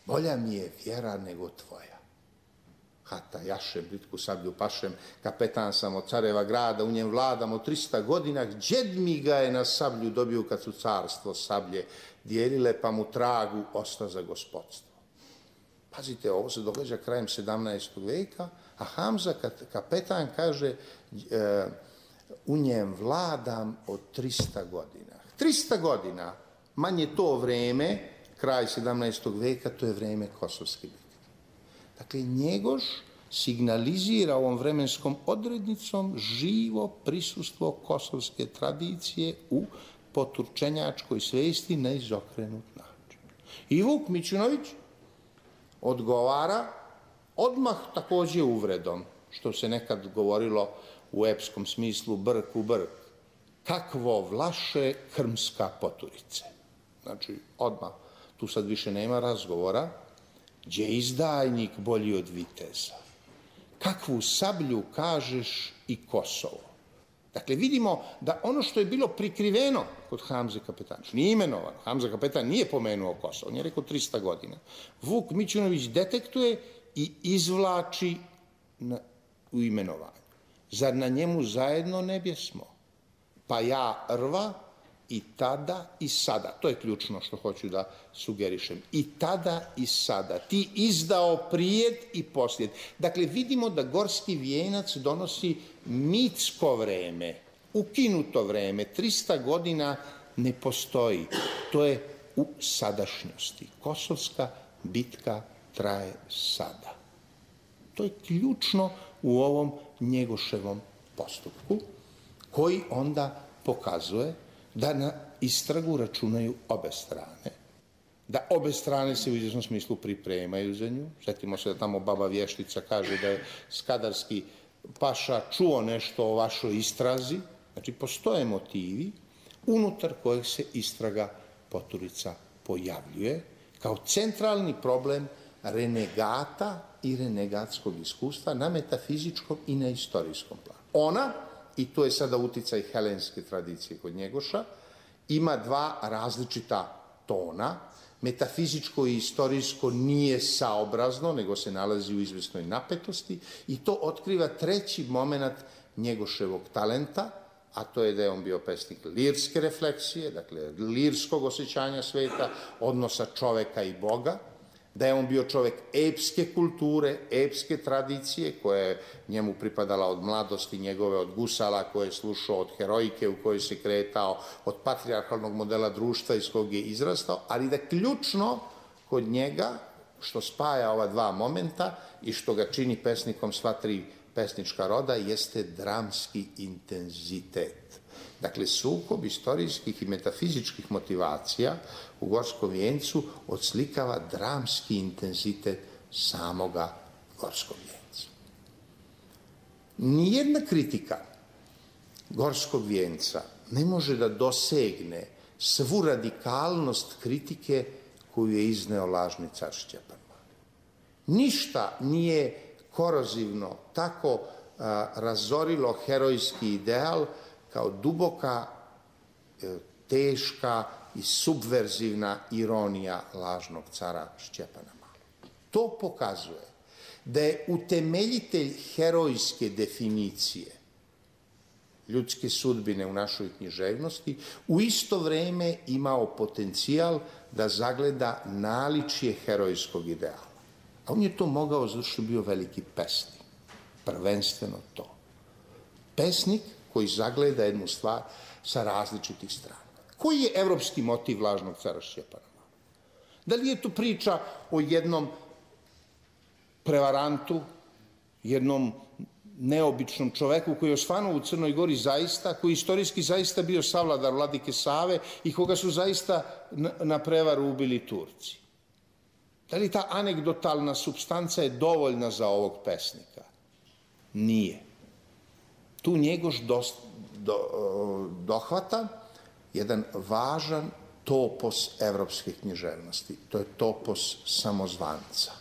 bolja mi je vjera nego tvoja. Hata jašem, britku sablju pašem, kapetan sam od careva grada, u njem vladam od trista godina, džed mi ga je na sablju dobio kad su carstvo sablje dijelile, pa mu tragu osta za gospodstvo. Pazite, ovo se događa krajem sedamnaestog veka, a Hamza kapetan kaže e, u njem vladam od trista godina. trista godina, manje to vreme, kraj sedamnaestog veka, to je vreme Kosovske bitke. Dakle, Njegoš signalizira ovom vremenskom odrednicom živo prisustvo kosovske tradicije u poturčenjačkoj svesti na izokrenut način. I Vuk Mićunović odgovara odmah takođe uvredom, što se nekad govorilo u epskom smislu brk u brk. Kakvo Vlaše Krmska poturice. Znači, odmah, tu sad više nema razgovora, gdje je izdajnik bolji od viteza. Kakvu sablju kažeš i Kosovo. Dakle, vidimo da ono što je bilo prikriveno kod Hamze kapetana, nije imenovan, Hamza kapetan nije pomenuo Kosovo, on je rekao trista godina. Vuk Mićunović detektuje i izvlači na, u imenovanju. Zar na njemu zajedno ne bjesmo? Pa ja rva i tada i sada. To je ključno što hoću da sugerišem. I tada i sada. Ti izdao prijed i poslijed. Dakle, vidimo da Gorski vijenac donosi mitsko vreme, ukinuto vreme. trista godina ne postoji. To je u sadašnjosti. Kosovska bitka traje sada. To je ključno u ovom Njegoševom postupku, koji onda pokazuje da na istragu računaju obe strane, da obe strane se u izvjesnom smislu pripremaju za nju. Sjetimo se da tamo baba vještica kaže da je skadarski paša čuo nešto o vašoj istrazi. Znači, postoje motivi unutar kojeg se istraga Poturica pojavljuje kao centralni problem renegata i renegatskog iskustva na metafizičkom i na istorijskom planu. Ona, i to je sada uticaj helenske tradicije kod Njegoša, ima dva različita tona. Metafizičko i istorijsko nije saobrazno, nego se nalazi u izvesnoj napetosti i to otkriva treći moment Njegoševog talenta, a to je da je on bio pesnik lirske refleksije, dakle lirskog osjećanja sveta, odnosa čoveka i Boga, da je on bio čovek epske kulture, epske tradicije, koja je njemu pripadala od mladosti njegove, od gusala koje je slušao, od heroike u kojoj se kretao, od patrijarhalnog modela društva iz kog je izrastao, ali da ključno kod njega, što spaja ova dva momenta i što ga čini pesnikom sva tri pesnička roda, jeste dramski intenzitet. Dakle, sukob istorijskih i metafizičkih motivacija u Gorskom vijencu odslikava dramski intenzitet samoga Gorskog vijenca. Nijedna kritika Gorskog vijenca ne može da dosegne svu radikalnost kritike koju je izneo lažni car Stjepan Mali. Ništa nije korozivno tako a, razorilo herojski ideal kao duboka, e, teška i subverzivna ironija lažnog cara Stjepana Malog. To pokazuje da je utemeljitelj herojske definicije ljudske sudbine u našoj književnosti u isto vreme imao potencijal da zagleda naličje herojskog ideala. A on je to mogao zato što je bio veliki pesnik. Prvenstveno to. Pesnik koji zagleda jednu stvar sa različitih strana. Koji je evropski motiv lažnog cara Stjepana Malog? Da li je to priča o jednom prevarantu, jednom neobičnom čoveku koji je osvanuo u Crnoj Gori zaista, koji istorijski zaista bio savladar vladike Save i koga su zaista na prevaru ubili Turci? Da li ta anegdotalna supstanca je dovoljna za ovog pesnika? Nije. Tu Njegoš do, do, dohvata jedan važan topos evropske književnosti. To je topos samozvanca.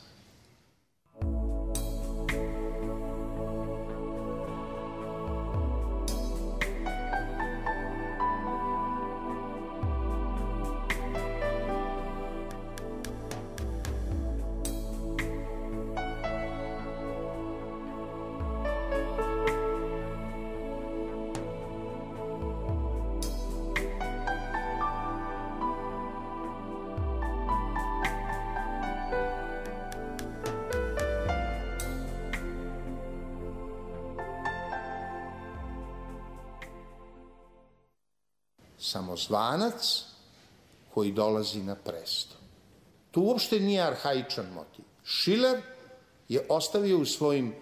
Samozvanac koji dolazi na presto. To uopšte nije arhaičan motiv. Šiler je ostavio u svojim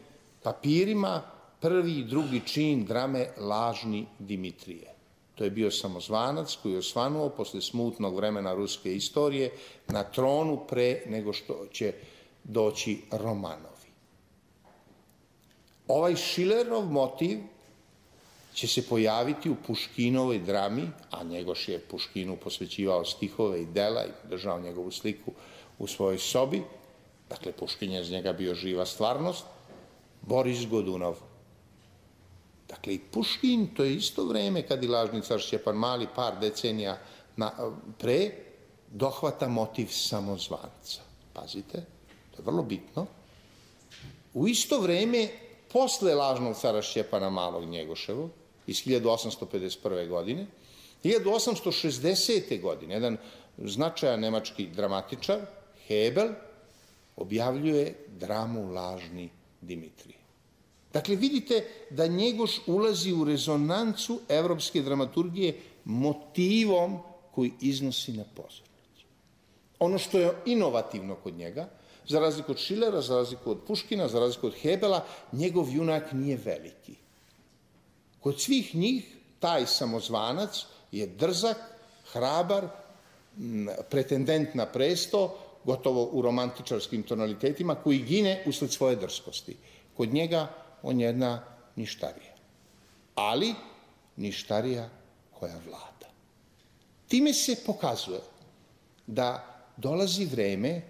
papirima prvi i drugi čin drame Lažni Dimitrije. To je bio samozvanac koji je osvanuo posle smutnog vremena ruske istorije na tronu pre nego što će doći Romanovi. Ovaj Šilerov motiv će se pojaviti u Puškinovoj drami, a Njegoš je Puškinu posvećivao stihove i dela i držao njegovu sliku u svojoj sobi. Dakle, Puškin je iz njega bio živa stvarnost. Boris Godunov. Dakle, i Puškin, to je isto vreme kad i lažni car Stjepan Mali, par decenija na, pre, dohvata motiv samozvanca. Pazite, to je vrlo bitno. U isto vreme, posle lažnog cara Stjepana Malog Njegoševog, iz hiljadu osamsto pedeset prve. godine, hiljadu osamsto šezdesete. godine, jedan značajan nemački dramatičar, Hebel, objavljuje dramu Lažni Dimitrije. Dakle, vidite da Njegoš ulazi u rezonancu evropske dramaturgije motivom koji iznosi na pozornicu. Ono što je inovativno kod njega, za razliku od Šilera, za razliku od Puškina, za razliku od Hebela, njegov junak nije veliki. Kod svih njih taj samozvanac je drzak, hrabar, pretendent na presto, gotovo u romantičarskim tonalitetima, koji gine usled svoje drskosti. Kod njega on je jedna ništarija. Ali ništarija koja vlada. Time se pokazuje da dolazi vreme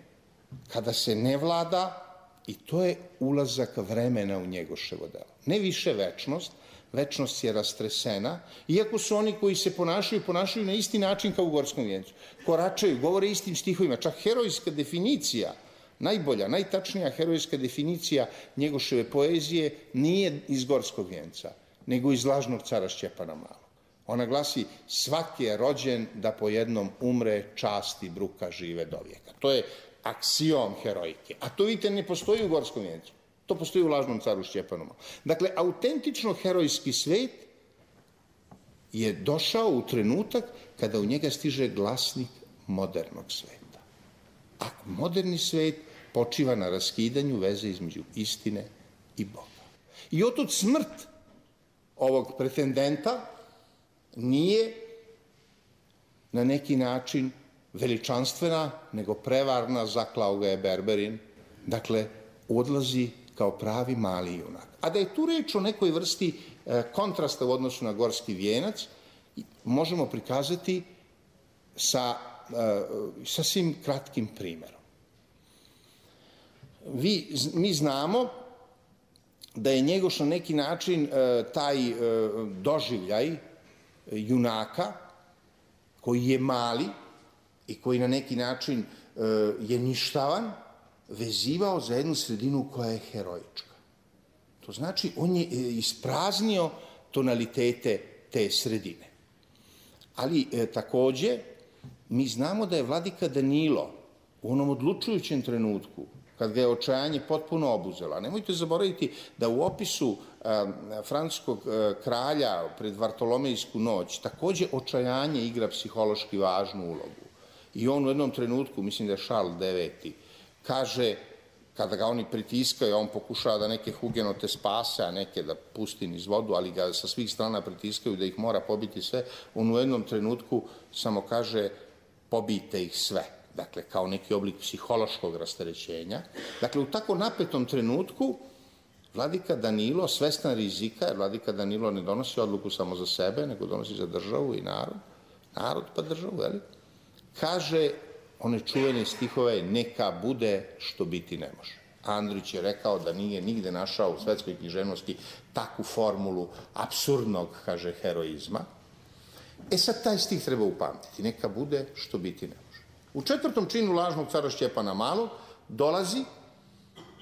kada se ne vlada, i to je ulazak vremena u Njegoševo delo. Ne više večnost, večnost je rastresena, iako su oni koji se ponašaju, ponašaju na isti način kao u Gorskom vijencu. Koračaju, govore istim stihovima, čak herojska definicija, najbolja, najtačnija herojska definicija Njegoševe poezije nije iz Gorskog vijenca, nego iz Lažnog cara Stjepana Malog. Ona glasi: svaki je rođen da po jednom umre, časti bruka žive do vijeka. To je aksiom heroike. A to, vidite, ne postoji u Gorskom vijencu. To postoji u Lažnom caru Stjepanu Malom. Dakle, autentično herojski svet je došao u trenutak kada u njega stiže glasnik modernog sveta. A moderni svet počiva na raskidanju veze između istine i Boga. I otud smrt ovog pretendenta nije na neki način veličanstvena, nego prevarna, zaklao ga je Berberin. Dakle, odlazi kao pravi mali junak. A da je tu reč o nekoj vrsti e, kontrasta u odnosu na Gorski vijenac, možemo prikazati sa e, sasvim kratkim primjerom. Vi, mi znamo da je Njegoš na neki način e, taj e, doživljaj junaka, koji je mali i koji na neki način e, je ništavan, vezivao za jednu sredinu koja je heroička. To znači, on je ispraznio tonalitete te sredine. Ali e, takođe, mi znamo da je vladika Danilo u onom odlučujućem trenutku, kad ga je očajanje potpuno obuzela. Nemojte zaboraviti da u opisu e, francuskog e, kralja pred Vartolomejsku noć takođe očajanje igra psihološki važnu ulogu. I on u jednom trenutku, mislim da je Charles deveti, kaže, kada ga oni pritiskaju, on pokušava da neke hugenote spase, a neke da pusti niz vodu, ali ga sa svih strana pritiskaju da ih mora pobiti sve, on u jednom trenutku samo kaže: pobijte ih sve. Dakle, kao neki oblik psihološkog rasterećenja. Dakle, u tako napetom trenutku vladika Danilo, svestan rizika, jer vladika Danilo ne donosi odluku samo za sebe, nego donosi za državu i narod, narod pa državu, jel? Kaže one čuvene stihove: neka bude što biti ne može. Andrić je rekao da nije nigde našao u svetskoj književnosti takvu formulu apsurdnog, kaže, heroizma. E sad, taj stih treba upamtiti: neka bude što biti ne može. U četvrtom činu Lažnog cara Stjepana Malog dolazi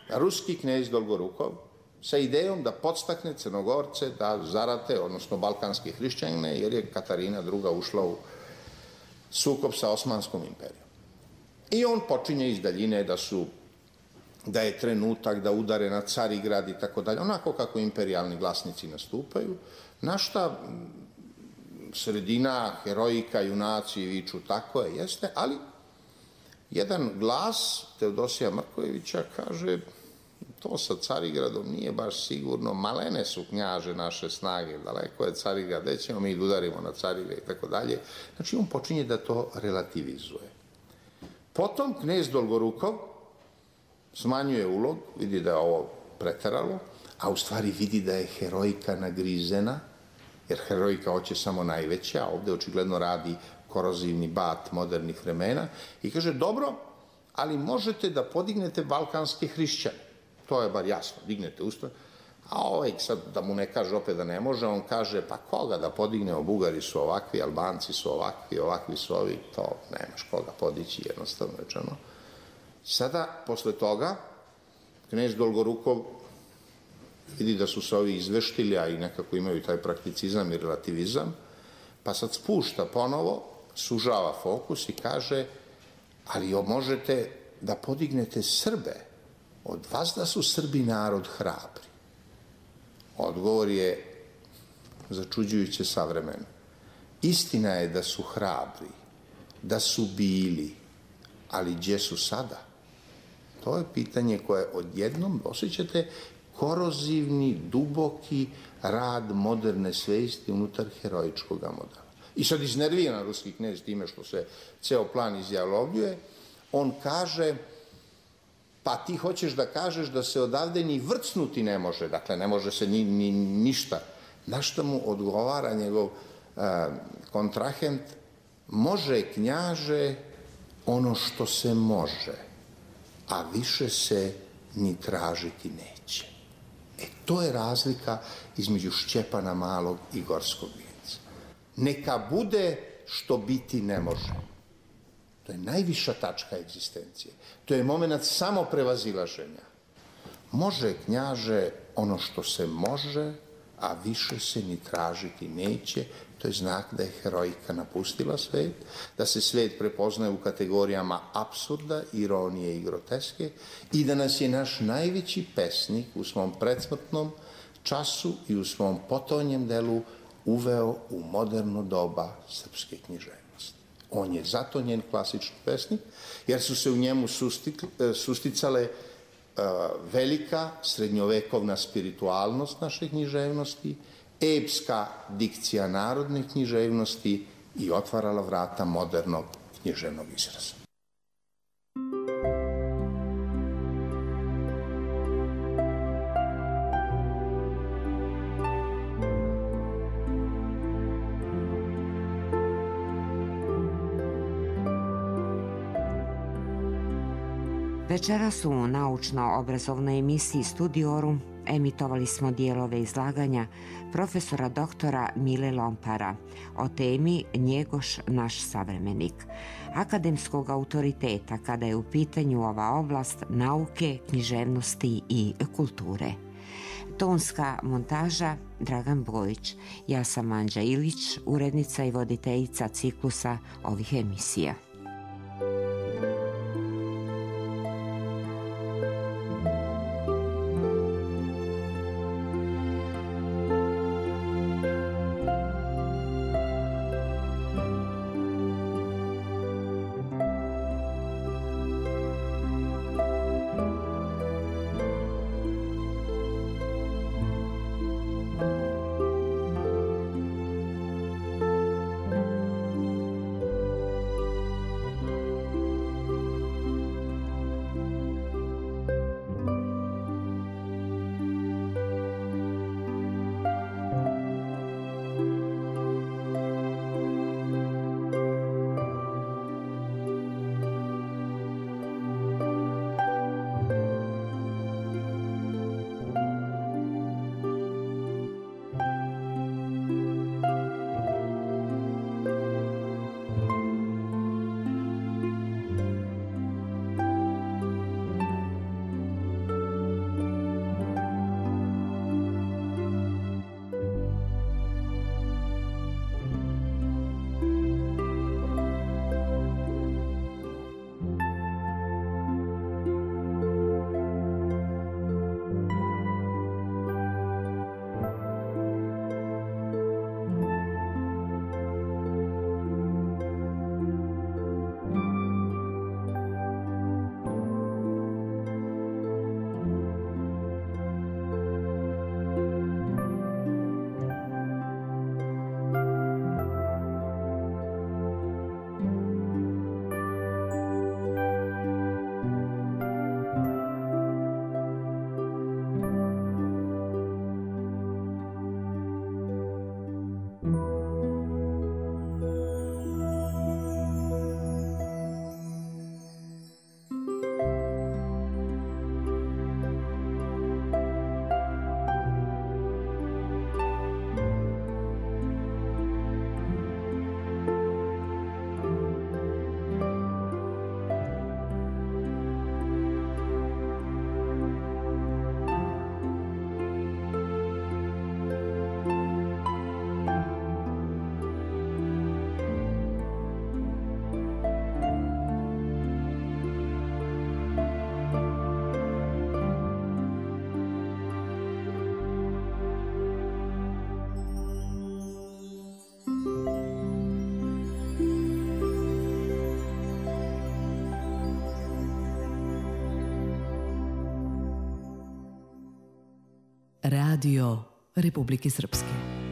ruski knez Dolgorukov sa idejom da podstakne Crnogorce da zarate, odnosno balkanske hrišćane, jer je Katarina druga ušla u sukob sa Osmanskom imperijom. I on počinje iz daljine da su, da je trenutak da udare na Carigrad i tako dalje, onako kako imperijalni glasnici nastupaju, na šta sredina, herojika, junaci viču tako je, jeste, ali jedan glas Teodosija Mrkojevića kaže: to sa Carigradom nije baš sigurno, malene su, knjaže, naše snage, daleko je Carigrad, gde ćemo mi da udarimo na Carigrad i tako dalje. Znači, on počinje da to relativizuje. Potom knez Dolgorukov smanjuje ulog, vidi da je ovo preteralo, a u stvari vidi da je herojika nagrizena, jer herojika hoće samo najveća, a ovde očigledno radi korozivni bat modernih vremena, i kaže: dobro, ali možete da podignete balkanske hrišćane. To je bar jasno, dignete usta. A ovaj sad, da mu ne kaže opet da ne može, on kaže: pa koga da podignemo, Bugari su ovakvi, Albanci su ovakvi, ovakvi su ovi, to nemaš koga podići, jednostavno rečeno. Sada, posle toga, knez Dolgorukov vidi da su se ovi izveštili, a i nekako imaju taj prakticizam i relativizam, pa sad spušta ponovo, sužava fokus i kaže: ali možete da podignete Srbe, od vas da su Srbi narod hrabri. Odgovor je začuđujuće savremen. Istina je da su hrabri, da su bili, ali gdje su sada? To je pitanje koje odjednom osjećate korozivni, duboki rad moderne svesti unutar heroičkog modela. I sad iznerviran ruski knez time što se ceo plan izjavljuje, on kaže: pa ti hoćeš da kažeš da se odavde ni vrcnuti ne može, dakle ne može se ni, ni ništa. Na što mu odgovara njegov a, kontrahent: može, knjaže, ono što se može, a više se ni tražiti neće. E, to je razlika između Stjepana Malog i Gorskog vijenca. Neka bude što biti ne može. To je najviša tačka egzistencije. To je moment samoprevazilaženja. Može, knjaže, ono što se može, a više se ni tražiti neće. To je znak da je heroika napustila svet, da se svet prepoznaje u kategorijama apsurda, ironije i groteske i da nas je naš najveći pesnik u svom predsmrtnom času i u svom potonjem delu uveo u moderno doba srpske književnosti. On je zato njen klasični pesnik, jer su se u njemu susticale velika srednjovekovna spiritualnost naše književnosti, epska dikcija narodne književnosti i otvarala vrata modernog književnog izraza.
Večeras u naučno-obrazovnoj emisiji Studiorum emitovali smo dijelove izlaganja profesora doktora Mile Lompara o temi Njegoš naš savremenik, akademskog autoriteta kada je u pitanju ova oblast nauke, književnosti i kulture. Tonska montaža Dragan Bojić, ja sam Anđa Ilić, urednica i voditeljica ciklusa ovih emisija.
Radio Republike Srpske.